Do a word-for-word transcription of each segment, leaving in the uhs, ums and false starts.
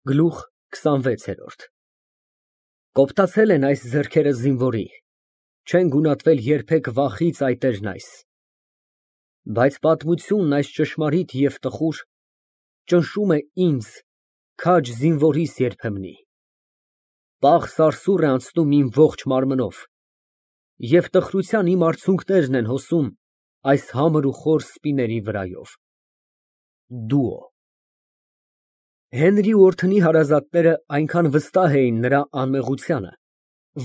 Գլուխ քսանվեց։ Կոպտացել են այս ձեռքերը զինվորի, չեն գունատվել երբեք վախից այտերն այս, բայց պատմությունն այս ճշմարիտ և տխուր, ճնշում է ինձ, քաջ զինվորիս երբեմնի, պաղ սարսուռ է անցնում իմ ողջ մարմնով, և տխրության իմ արցունքներն են հոսում այս համր ու խոր սպիների վրայով։ Դուո։ Հենրի ու Օրթնի հարազատները այնքան վստահ էին նրա անմեղությանը,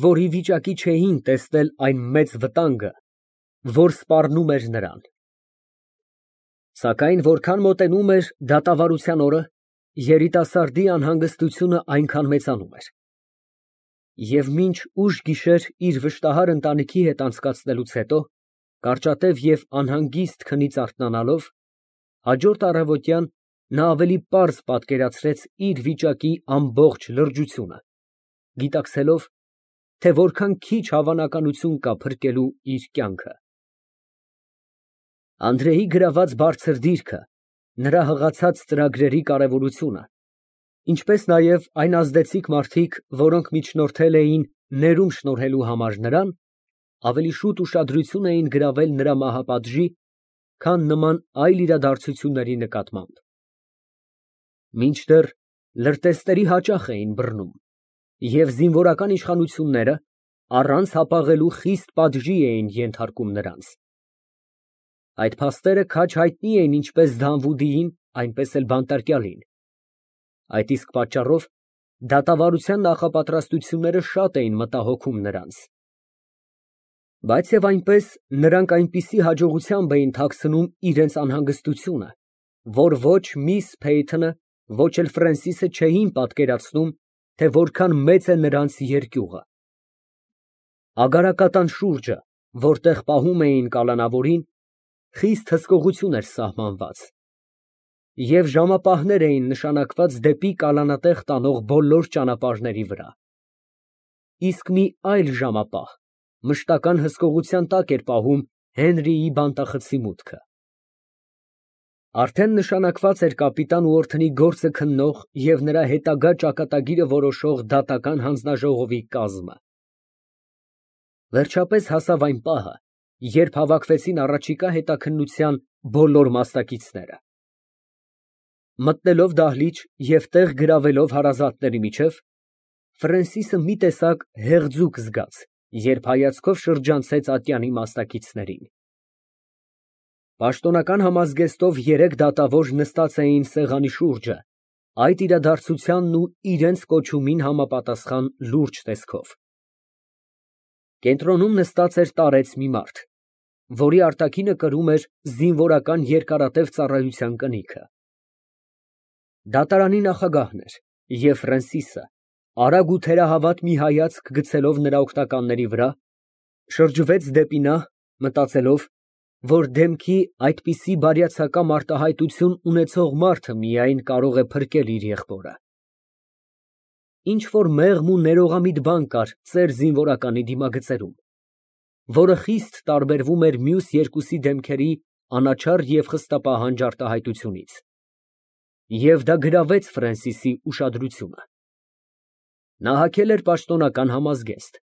որ ի վիճակի չէին տեսնել այն մեծ վտանգը, որ սպառնում էր նրան։ Սակայն որքան մոտենում էր դատավարության օրը, երիտասարդի անհանգստությունը այնքան մեծանում էր։ Եվ մինչ ուշ գիշեր իր վշտահար ընտանիքի հետ անցկացնելուց հետո, կարճատև և անհանգիստ քնից արթնանալով, հաջորդ առավոտյան նա ավելի պարզ պատկերացրեց իր վիճակի ամբողջ լրջությունը, գիտակցելով, թե որքան քիչ հավանականություն կա փրկելու իր կյանքը։ Անդրեի գրաված բարձր դիրքը, նրա հղացած ծրագրերի կարևորությունը, ինչպես նաև այն ազդեցիկ մարդիկ, որոնք միջնորդել էին ներում շնորհելու համար նրան, ավելի շուտ ուշադրություն էին գրավել նրա մահապատժի, քան նման այլ իրադարձությունների նկատմամբ։ Մինչդեռ լրտեսների հաճախ էին բռնում, և զինվորական իշխանությունները առանց հապաղելու խիստ պատժի էին ենթարկում նրանց։ Այդ փաստերը քաջ հայտնի էին ինչպես Դանվուդիին, այնպես էլ բանտարկյալին։ Այդ իսկ պատճառով դատավարության նախապատրաստությունները շատ էին մտահոգում նրանց։ Բայց և այնպես, նրանք այնպիսի հաջողությամբ էին թաքցնում իրենց անհանգստությունը, որ ոչ միս Փեյթոնը, ոչ էլ Ֆրենսիսը չէին պատկերացնում, թե որքան մեծ է նրանց երկյուղը։ Ագարակատան շուրջը, որտեղ պահում էին կալանավորին, խիստ հսկողություն էր սահմանված, և ժամապահներ էին նշանակված դեպի կալանատեղ տանող բոլոր ճանապարհների վրա։ Իսկ մի այլ ժամապահ մշտական հսկողության տակ էր պահում Հենրիի բանտախցի մուտքը։ Արդեն նշանակված էր կապիտան Ուորթնի գործը քննող և նրա հետագա ճակատագիրը որոշող դատական հանձնաժողովի կազմը։ Վերջապես հասավ այն պահը, երբ հավաքվեցին առաջիկա հետաքննության բոլոր մասնակիցները։ Մտնելով դահլիճ և տեղ գրավելով հարազատների միջև, Ֆրենսիսը մի տեսակ հեղձուկ զգաց, երբ հայացքով շրջանցեց ատյանի մասնակիցներին։ Պաշտոնական համազգեստով երեք դատավոր նստած էին սեղանի շուրջը, այդ իրադարձությանն ու իրենց կոչումին համապատասխան լուրջ տեսքով։ Կենտրոնում նստած էր տարեց մի մարդ, որի արտաքինը կրում էր զինվորական երկարատև ծառայության կնիքը։ Դատարանի նախագահն էր, և Ֆրենսիսը, արագ ու թերահավատ մի հայացք գցելով նրա օգնականների վրա, շրջվեց դեպի նա, մտածելով, որ դեմքի այդպիսի բարյացակամ արտահայտություն ունեցող մարդը միայն կարող է փրկել իր եղբորը։ Ինչ֊որ մեղմ ու ներողամիտ բան կար ծեր զինվորականի դիմագծերում, որը խիստ տարբերվում էր մյուս երկուսի դեմքերի անաչառ և խստապահանջ արտահայտությունից, և դա գրավեց Ֆրենսիսի ուշադրությունը։ Նա հագել էր պաշտոնական համազգեստ,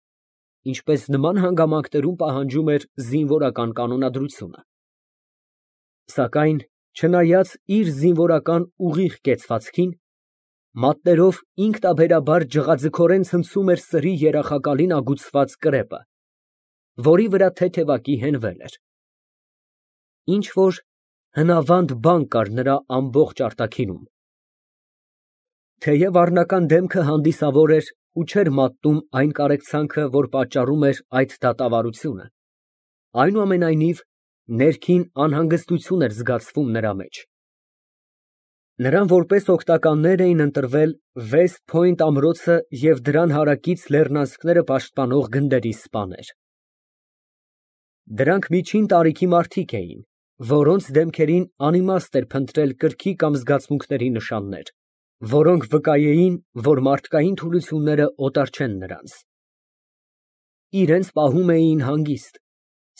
ինչպես նման հանգամանքներում պահանջում էր զինվորական կանոնադրությունը։ Սակայն, չնայած իր զինվորական ուղիղ կեցվածքին, մատներով ինքնաբերաբար ջղաձգորեն ցնցում էր սրի երախակալին ագուցված կրեպը, որի վրա թեթևակի հենվել էր։ Ինչ֊որ հնավանդ բան կար նրա ամբողջ արտաքինում։ Թեև առնական դեմքը հանդիսավոր էր ու չէր մատնում այն կարեկցանքը, որ պատճառում էր այդ դատավարությունը, այնուամենայնիվ, ներքին անհանգստություն էր զգացվում նրա մեջ։ Նրան որպես օգնականներ էին ընտրվել Վեսթ Փոյնտ ամրոցը և դրան հարակից լեռնանցքները պաշտպանող գնդերի սպաներ։ Դրանք միջին տարիքի մարդիկ էին, որոնց դեմքերին անիմաստ էր փնտրել կրքի կամ զգացմունքների նշաններ, որոնք վկայեին, որ մարդկային թուլությունները օտար չեն նրանց։ Իրենց պահում էին հանգիստ,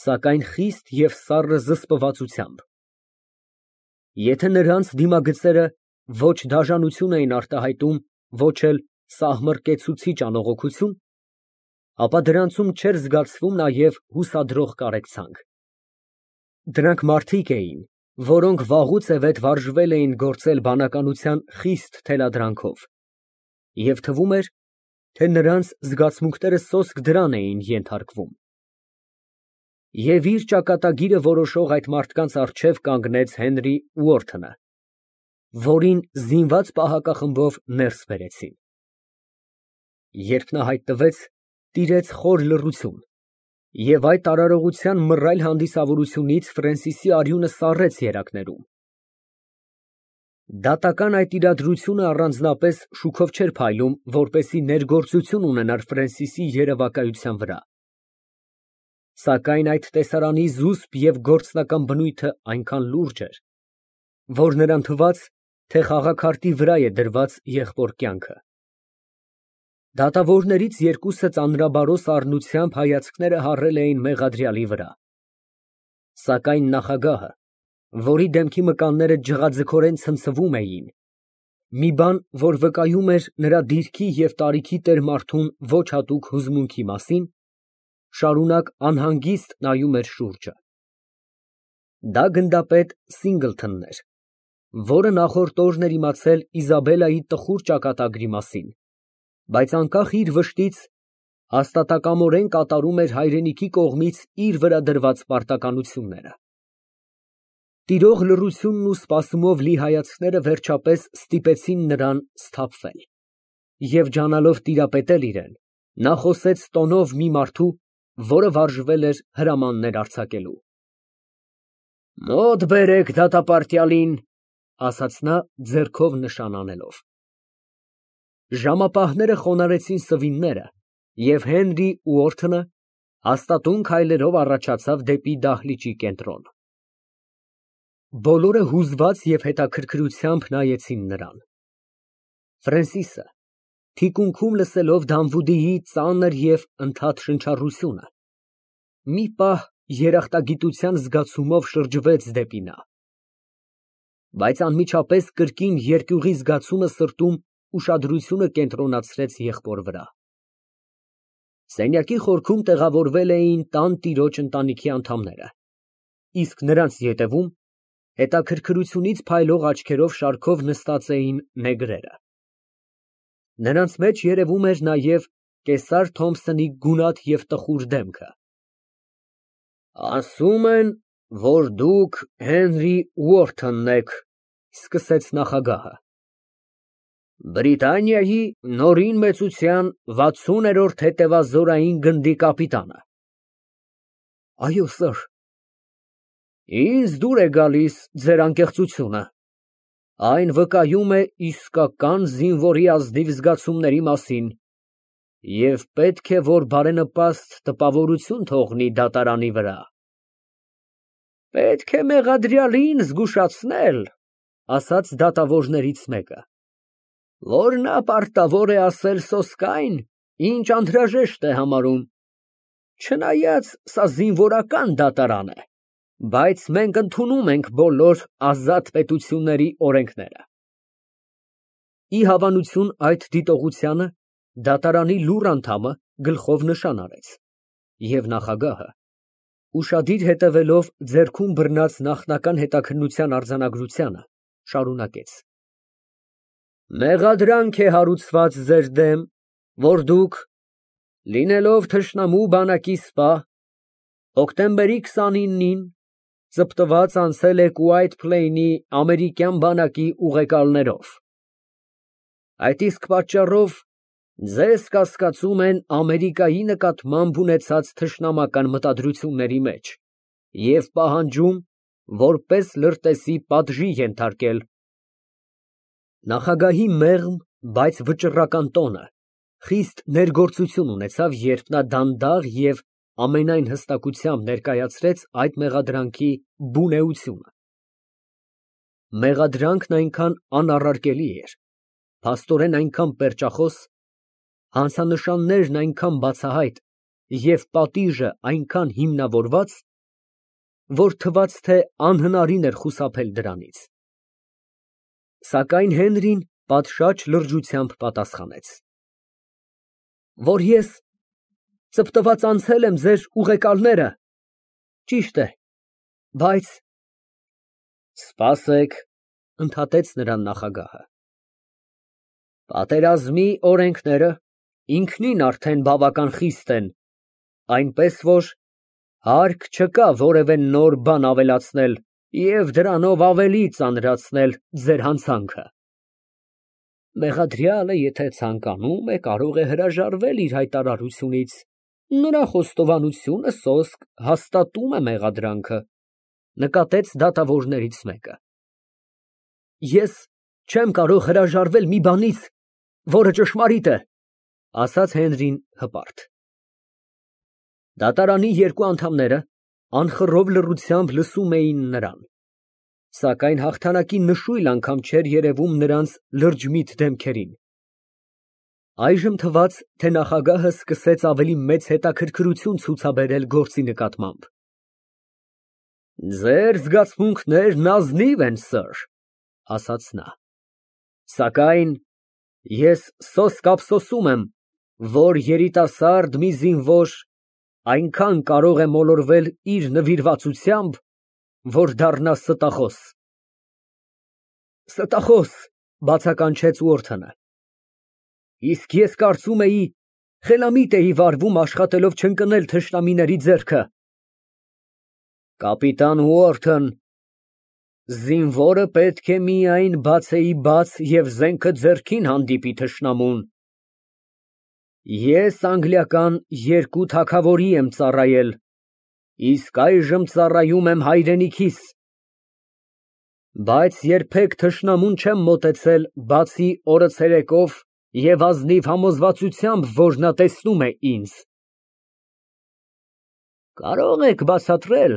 սակայն խիստ և սառը զսպվածությամբ։ Եթե նրանց դիմագծերը ոչ դաժանություն էին արտահայտում, ոչ էլ սահմռկեցուցիչ անողոքություն, ապա դրանցում չէր զգացվում նաև հուսադրող կարեկցանք։ Դրանք մարդիկ էին, որոնք վաղուց է վետ վարժվել էին գործել բանականության խիստ թելադրանքով, և թվում էր, թե նրանց զգացմունքները սոսկ դրան էին ենթարկվում։ Եվ իր ճակատագիրը որոշող այդ մարդկանց առջև կանգնեց Հենրի Ուորթոնը, որին զինված պահակախմբով ներս բերեցին։ Երբ նա հայտնվեց, տիրեց խոր լռություն, և այդ արարողության մռայլ հանդիսավորությունից Ֆրենսիսի արյունը սառեց երակներում։ Դատական այդ իրադրությունը առանձնապես շուքով չէր փայլում, որպեսզի ներգործություն ունենար Ֆրենսիսի երևակայության վրա, սակայն այդ տեսարանի զուսպ և գործնական բնույթը այնքան լուրջ էր, որ նրան թվաց, թե խաղաքարտի վրա է դրված եղբոր կյանքը։ Դատավորներից երկուսը ծանրաբարոս առնությամբ հայացքները հառել էին մեղադրյալի վրա, սակայն նախագահը, որի դեմքի մկանները ջղաձգորեն ցնցվում էին, մի բան, որ վկայում էր նրա դիրքի և տարիքի տեր մարդուն ոչ հատուկ հուզմունքի մասին, շարունակ անհանգիստ նայում էր շուրջը։ Դա գնդապետ Սինգլթոնն էր, որը նախորդ օրն էր իմացել Իզաբելլայի տխուր ճակատագրի մասին, բայց անկախ իր վշտից, հաստատակամորեն կատարում էր հայրենիքի կողմից իր վրա դրված պարտականությունները։ Տիրող լռությունն ու սպասումով լի հայացքները վերջապես ստիպեցին նրան սթափվել, և ջանալով տիրապետել իրան, նա խոսեց տոնով մի մարդու, որը վարժվել էր հրամաններ արձակելու։ «Մոտ բերեք դատապարտյալին», ֊ ասաց նա ձեռքով նշան անելով։ Ժամապահները խոնարհեցին սվինները, և Հենրի Ուորթոնը հաստատուն քայլերով առաջացավ դեպի դահլիճի կենտրոն։ Բոլորը հուզված և հետաքրքրությամբ նայեցին նրան։ Ֆրենսիսը, թիկունքում լսելով Դանվուդիի ծանր և ընդհատ շնչառությունը, մի պահ երախտագիտության զգացումով շրջվեց դեպի նա, բայց անմիջապես կրկին երկյուղի զգացումը սրտում ուշադրությունը կենտրոնացրեց եղբոր վրա։ Սենյակի խորքում տեղավորվել էին տան տիրոջ ընտանիքի անդամները, իսկ նրանց ետևում հետաքրքրությունից փայլող աչքերով շարքով նստած էին նեգրերը։ Նրանց մեջ երևում էր նաև կեսար Թոմփսոնի գունատ և տխուր դեմքը։ «Ասում են, որ դուք Հենրի Ուորթոնն եք», ֊ սկսեց նախագահը, «Բրիտանիայի Նորին մեծության վաթսուներորդ հետևազորային գնդի կապիտանը»։ «Այո, սըր»։ «Ինձ դուր է գալիս ձեր անկեղծությունը, այն վկայում է իսկական զինվորի ազնիվ զգացումների մասին և պետք է, որ բարենպաստ տպավորություն թողնի դատարանի վրա»։ «Պետք է մեղադրյալին զգուշացնել», ֊ ասաց դատավորներից մեկը, «որ նա պարտավոր է ասել սոսկ այն, ինչ անհրաժեշտ է համարում, չնայած սա զինվորական դատարան է, բայց մենք ընդունում ենք բոլոր ազատ պետությունների օրենքները»։ Ի հավանություն այդ դիտողությանը դատարանի լուռ անդամը գլխով նշան արեց, և նախագահը, ուշադիր հետևելով ձեռքում բռնած նախնական հետաքննության արձանագրությանը, շարունակեց. «Մեղադրանք է հարուցված ձեր դեմ, որ դուք, լինելով թշնամու բանակի սպա, հոկտեմբերի քսանինին ծպտված անցել եք Ուայթ Փլեյնի ամերիկյան բանակի ուղեկալներով։ Այդ իսկ պատճառով ձեզ կասկածում են Ամերիկայի նկատմամբ ունեցած թշնամական մտադրությունների մեջ և պահանջում որպես լրտեսի պատժի ենթարկել»։ Նախագահի մեղմ, բայց վճռական տոնը խիստ ներգործություն ունեցավ, երբ նա դանդաղ և ամենայն հստակությամբ ներկայացրեց այդ մեղադրանքի բուն էությունը։ Մեղադրանքն այնքան անառարկելի էր, փաստորեն այնքան պերճախոս, հանցանշաններն այնքան բացահայտ և պատիժը այնքան հիմնավորված, որ թվաց, թե անհնարին էր խուսափել դրանից։ Սակայն Հենրին պատշաճ լրջությամբ պատասխանեց. Որ ես ծպտված անցել եմ ձեր ուղեկալները, ճիշտ է, բայց… Սպասեք, ընդհատեց նրան նախագահը, պատերազմի օրենքները ինքնին արդեն բավական խիստ են, այնպես որ հարկ չկա որևէ նոր բան ավելացնել և դրանով ավելի ծանրացնել ձեր հանցանքը։ Մեղադրյալը, եթե ցանկանում է, կարող է հրաժարվել իր հայտարարությունից, նրա խոստովանությունը սոսկ հաստատում է մեղադրանքը, նկատեց դատավորներից մեկը։ Ես չեմ կարող հրաժարվել մի բանից, որը ճշմարիտ է, ասաց Հենրին հպարտ։ Դատարանի երկու անդամները անխռով լռությամբ լսում էին նրան, սակայն հաղթանակի նշույլ անգամ չէր երևում նրանց լրջմիտ դեմքերին։ Այժմ թվաց, թե նախագահը սկսեց ավելի մեծ հետաքրքրություն ցուցաբերել գործի նկատմամբ։ Ձեր զգացմունքներն ազնիվ են, սըր, ասաց նա, սակայն ես սոսկ ափսոսում եմ, որ երիտասարդ մի զինվոր այնքան կարող է մոլորվել իր նվիրվածությամբ, որ դառնա ստախոս։ Ստախոս, բացականչեց Ուորթոնը, իսկ ես կարծում էի, խելամիտ էի վարվում աշխատելով չընկնել թշնամիների ձեռքը։ Կապիտան Ուորթոն, զինվորը պետք է միայն բացեիբաց և զենքը ձեռքին հանդիպի թշնամուն։ Ես անգլիական երկու թագավորի եմ ծառայել, իսկ այժմ ծառայում եմ հայրենիքիս, բայց երբեք թշնամուն չեմ մոտեցել, բացի օրը ցերեկով և ազնիվ համոզվածությամբ, որ նա տեսնում է ինձ։ Կարող եք բացատրել,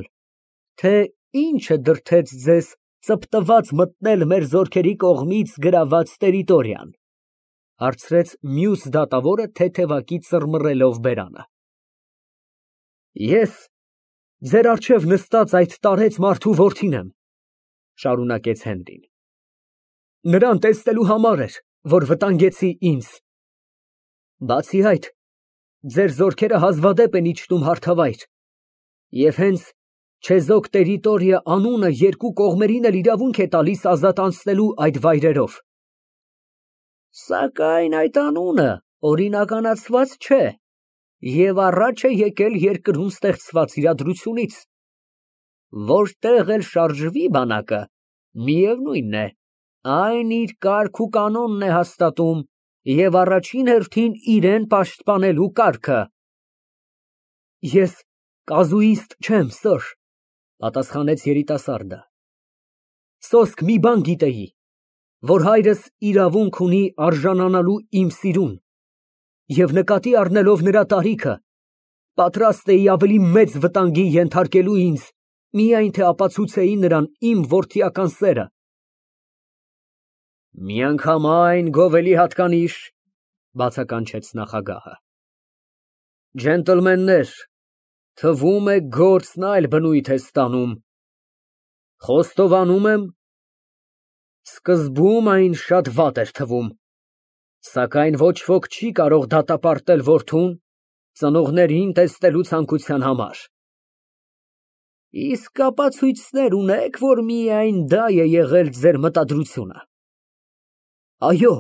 թե ինչը դրդեց ձեզ ծպտված մտնել մեր զորքերի կողմից գրաված տերիտորիան, հարցրեց մյուս դատավորը թեթևակի ծռմռելով բերանը։ Ես ձեր առջև նստած այդ տարեց մարդու որդին եմ, շարունակեց Հենրին։ Նրան տեսնելու համար էր, որ վտանգեցի ինձ։ Բացի այդ, ձեր զորքերը հազվադեպ են իջնում հարթավայր, և հենց չեզոք տերիտորիա անունը երկու կողմերին էլ իրավունք է տալիս ազատ անցնելու այդ վայրերով։ Սակայն այդ անունը օրինականացված չէ և առաջ է եկել երկրում ստեղծված իրադրությունից։ Որտեղ էլ շարժվի բանակը, միևնույն է, այն իր կարգ ու կանոնն է հաստատում և առաջին հերթին իրան պաշտպանելու կարգը։ Ես կազուիստ չեմ, սըր, պատասխանեց երիտասարդը, սոսկ մի բան գիտեի, որ հայրս իրավունք ունի արժանանալու իմ սիրուն, և նկատի առնելով նրա տարիքը, պատրաստ էի ավելի մեծ վտանգի ենթարկելու ինձ, միայն թե ապացուցեի նրան իմ որդիական սերը։ Միանգամայն գովելի հատկանիշ, բացականչեց նախագահը։ Ջենտլմեններ, թվում է գործն այլ բնույթ է ստանում։ Խոստովանում եմ, սկզբում այն շատ վատ էր թվում, սակայն ոչ ոք չի կարող դատապարտել որդուն ծնողներին տեսնելու ցանկության համար։ Իսկ ապացույցներ ունե՞ք, որ միայն դա է եղել ձեր մտադրությունը։ Այո,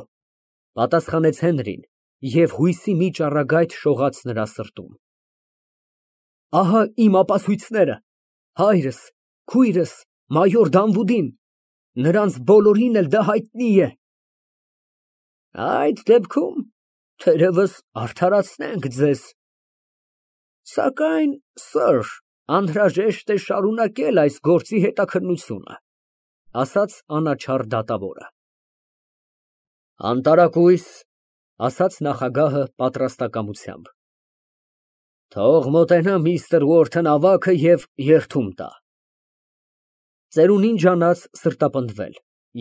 պատասխանեց Հենրին, և հույսի մի ճառագայթ շողաց նրա սրտում։ Ահա իմ ապացույցները, հայրս, քույրս, մայոր Դանվուդին, նրանց բոլորին էլ դա հայտնի է։ Այդ դեպքում թերևս արդարացնենք ձեզ։ Սակայն, սըր, անհրաժեշտ է շարունակել այս գործի հետաքննությունը, ասաց անաչառ դատավորը։ Անտարակույս, ասաց նախագահը պատրաստակամությամբ։ Թող մոտենա միստր Ուորթոն ավագը և երդում տա։ Ծերունին ջանաց սրտապնդվել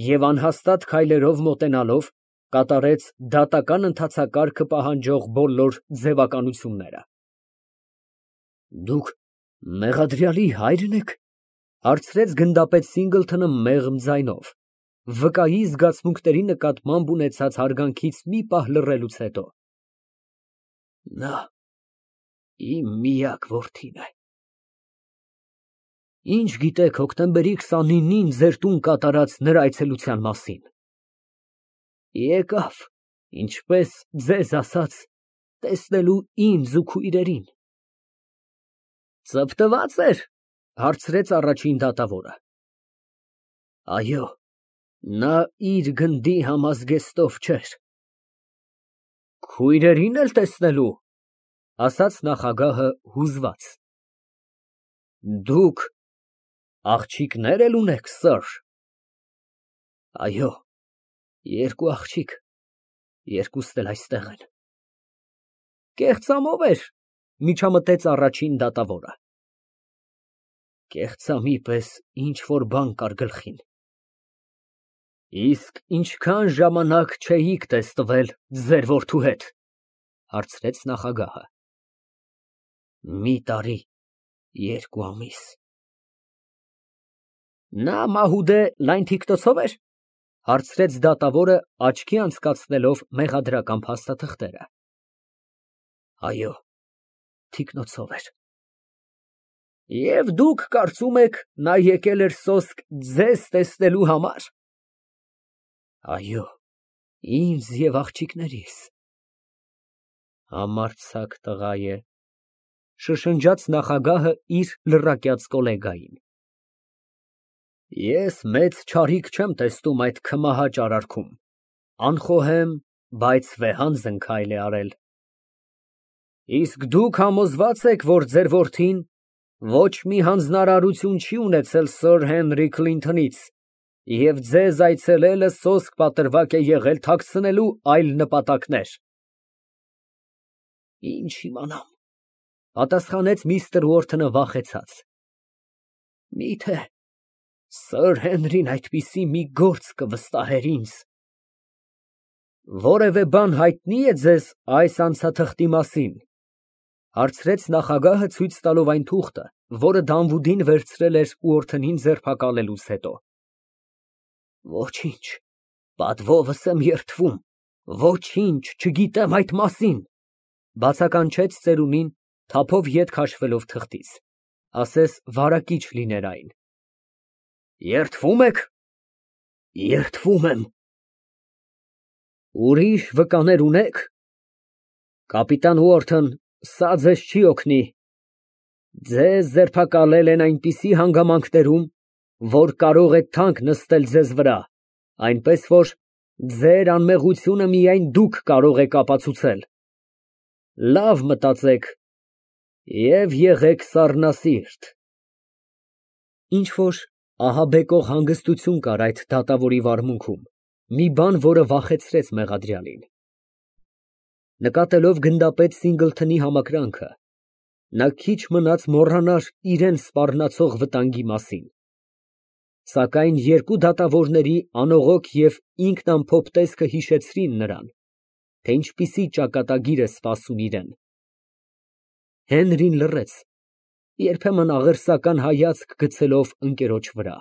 և անհաստատ քայլերով մոտենալով կատարեց դատական ընթացակարգը պահանջող բոլոր ձևականությունները։ Դուք մեղադրյալի հա՞յրն եք, հարցրեց գնդապետ Սինգլթոնը մեղմ ձայնով, վկայի զգացմունքների նկատմամբ ունեցած հարգանքից մի պահ լռելուց հետո։ Նա իմ միակ որդին է։ Ինչ գիտեք հոկտեմբերի քսանինին ձեր տուն կատարած նրա այցելության մասին։ Եկավ, ինչպես ձեզ ասաց, տեսնելու ինձ ու քույրերին։ Ծպտված էր, հարցրեց առաջին դատավորը։ Այո, նա իր գնդի համազգեստով չէր։ Քույրերին էլ տեսնելու, ասաց նախագահը հուզված։ Դուք աղջիկներ էլ ունեք, սըր։ Այո, երկու աղջիկ, երկուսն էլ այստեղ են։ Կեղծամով էր, միջամտեց առաջին դատավորը։ Կեղծամի պես ինչ որ բան կար գլխին։ Իսկ ինչքան ժամանակ չէիք տեսնվել ձեր որդու հետ, հարցրեց նախագահը։ Մի տարի, երկու ամիս։ Նա մահուդե լայն թիկնոցով էր, հարցրեց դատավորը, աչքի անցկացնելով մեղադրական փաստաթղթերը։ Այո, թիկնոցով էր։ Եվ դուք կարծում եք, նա եկել էր սոսկ ձեզ տեսնելու համար։ Այո, ինձ և աղջիկներիս։ Համարձակ տղա է, շշնջաց նախագահը իր լռակյաց գոլեգային։ Ես մեծ չարիք չեմ տեսնում այդ քմահաճ արարքում, անխոհեմ, բայց վեհանձն քայլ է արել։ Իսկ դուք համոզվա՞ծ եք, որ ձեր որդին ոչ մի հանձնարարություն չի ունեցել սըր Հենրի Քլինթոնից և ձեզ այցելելը սոսկ պատրվակ է եղել թաքցնելու այլ նպատակներ։ Ինչ իմանամ, պատասխանեց միստր Ուորթոնը վախեցած։ Միթե սըր Հենրին այդպիսի մի գործ կվստահեր ինձ։ Որևէ բան հայտնի է ձեզ այս անցաթղթի մասին, հարցրեց նախագահը ցույց տալով այն թուղթը, որը Դանվուդին վերցրել էր Ուորթոնին ձերբակալելուց հետո։ Ոչինչ, պատվովս եմ երդվում, ոչինչ չգիտեմ այդ մասին, բացականչեց ծերունին, թափով ետ քաշվելով թղթից, ասես վարակիչ լիներ այն։ Երդվում եք։ Երդվում եմ։ Ուրիշ վկաներ ունեք։ Կապիտան Ուորթոն, սա ձեզ չի օգնի։ Ձեզ ձերբակալել են այնպիսի հանգամանքներում, որ կարող է թանկ նստել ձեզ վրա, այնպես որ ձեր անմեղությունը միայն դուք կարող եք ապացուցել։ Լավ մտածեք և եղեք սառնասիրտ։ Ինչ որ ահաբեկող հանգստություն կար այդ դատավորի վարմունքում, մի բան, որը վախեցրեց մեղադրյալին։ Նկատելով գնդապետ Սինգլթոնի համակրանքը, նա քիչ մնաց մոռանար իրան սպառնացող վտանգի մասին։ Սակայն երկու դատավորների անողոք և ինքնամփոփ տեսքը հիշեցրին նրան, թե ինչպիսի ճակատագիր է սպասում իրան։ Հենրին լռեց, երբեմն աղերսական հայացք գցելով ընկերոջ վրա։